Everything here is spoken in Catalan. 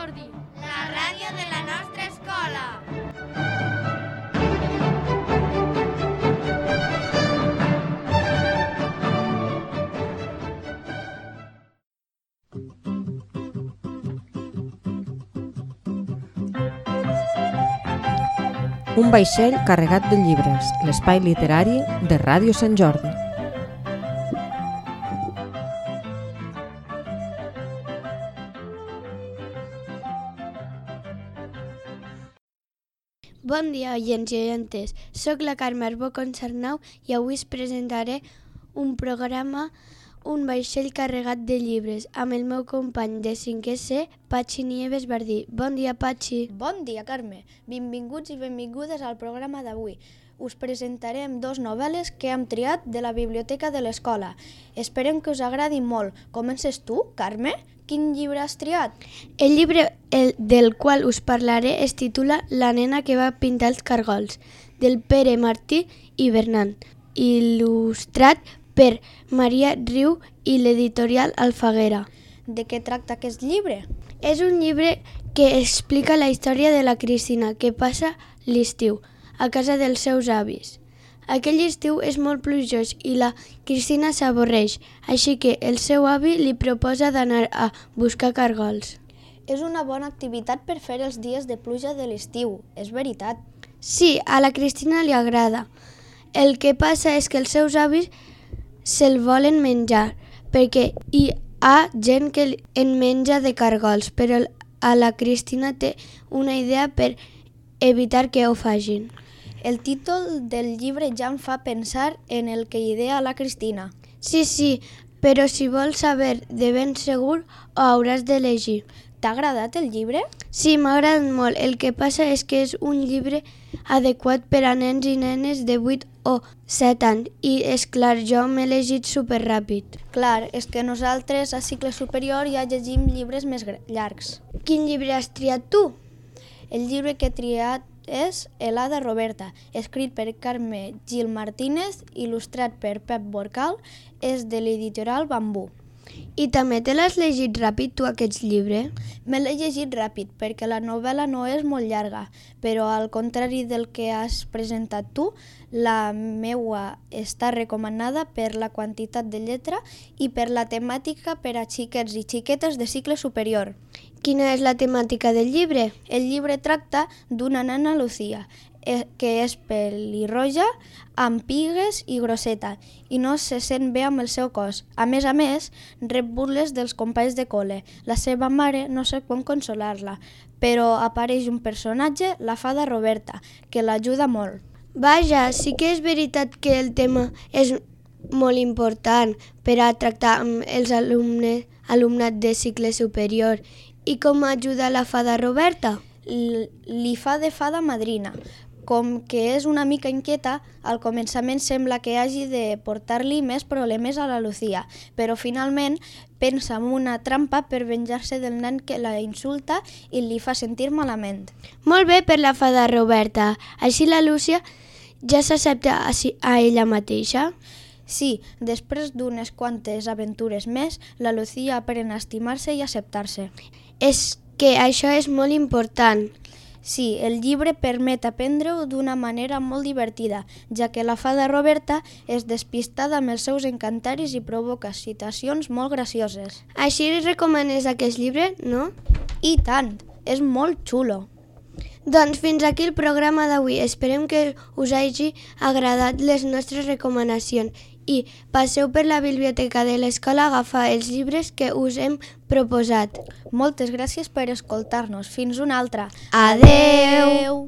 Jordi, la ràdio de la nostra escola. Un vaixell carregat de llibres, l'espai literari de Ràdio Sant Jordi. Bon dia, oients i oientes. Soc la Carme Arbó Concernau i avui us presentaré un programa Un vaixell carregat de llibres amb el meu company de 5è C, Patxi Nieves Bardí. Bon dia, Patxi. Bon dia, Carme. Benvinguts i benvingudes al programa d'avui. Us presentarem 2 novel·les que hem triat de la biblioteca de l'escola. Esperem que us agradi molt. Comences tu, Carme? Quin llibre has triat? El llibre del qual us parlaré es titula La nena que va pintar els cargols, del Pere Martí i Bernat, il·lustrat per Maria Riu i l'editorial Alfaguera. De què tracta aquest llibre? És un llibre que explica la història de la Cristina, que passa l'estiu a casa dels seus avis. Aquell estiu és molt plujós i la Cristina s'avorreix, així que el seu avi li proposa d'anar a buscar cargols. És una bona activitat per fer els dies de pluja de l'estiu, és veritat. Sí, a la Cristina li agrada. El que passa és que els seus avis se'l volen menjar, perquè hi ha gent que en menja de cargols, però a la Cristina té una idea per evitar que ho facin. El títol del llibre ja em fa pensar en el que idea la Cristina. Sí, però si vols saber de ben segur ho hauràs de llegir. T'ha agradat el llibre? Sí, m'ha agradat molt. El que passa és que és un llibre adequat per a nens i nenes de 8 o 7 anys i, és clar, jo m'he llegit superràpid. Clar, és que nosaltres a cicle superior ja llegim llibres més llargs. Quin llibre has triat tu? El llibre que he triat és L'Hada Roberta, escrit per Carme Gil Martínez, il·lustrat per Pep Borcal, és de l'editorial Bambú. I també te l'has llegit ràpid, tu, aquest llibre? Me l'he llegit ràpid perquè la novel·la no és molt llarga, però al contrari del que has presentat tu, la meua està recomanada per la quantitat de lletra i per la temàtica per a xiquets i xiquetes de cicle superior. Quina és la temàtica del llibre? El llibre tracta d'una nena Lucía, que és pelirroja, amb pigues i grosseta, i no se sent bé amb el seu cos. A més, rep burles dels companys de col·le. La seva mare no sap com consolar-la, però apareix un personatge, la fada Roberta, que l'ajuda molt. Vaja, sí que és veritat que el tema és molt important per a tractar amb els alumnat de cicle superior. I com ajuda la fada Roberta? Li fa de fada madrina. Com que és una mica inquieta, al començament sembla que hagi de portar-li més problemes a la Lucía, però finalment pensa en una trampa per venjar-se del nen que la insulta i li fa sentir malament. Molt bé per la fada Roberta. Així la Lucía ja s'accepta a ella mateixa? Sí, després d'unes quantes aventures més, la Lucía aprèn a estimar-se i acceptar-se. És que això és molt important. Sí, el llibre permet aprendre-ho d'una manera molt divertida, ja que la fada Roberta és despistada amb els seus encantaris i provoca situacions molt gracioses. Així recomanes aquest llibre, no? I tant, és molt xulo. Doncs fins aquí el programa d'avui. Esperem que us hagi agradat les nostres recomanacions i passeu per la biblioteca de l'escola a agafar els llibres que us hem proposat. Moltes gràcies per escoltar-nos. Fins una altra. Adeu!